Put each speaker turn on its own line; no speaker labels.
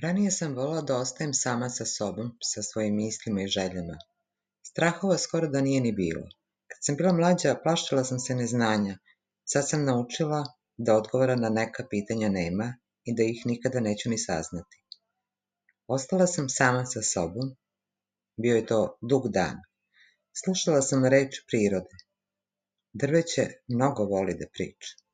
Ranije sam volela da ostajem sama sa sobom, sa svojim mislima i željama. Strahova skoro da nije ni bilo. Kad sam bila mlađa, plašila sam se neznanja. Sad sam naučila da odgovora na neka pitanja nema i da ih nikada neću ni saznati. Ostala sam sama sa sobom. Bio je to dug dan. Slušala sam reč prirode. Drveće mnogo voli da priča.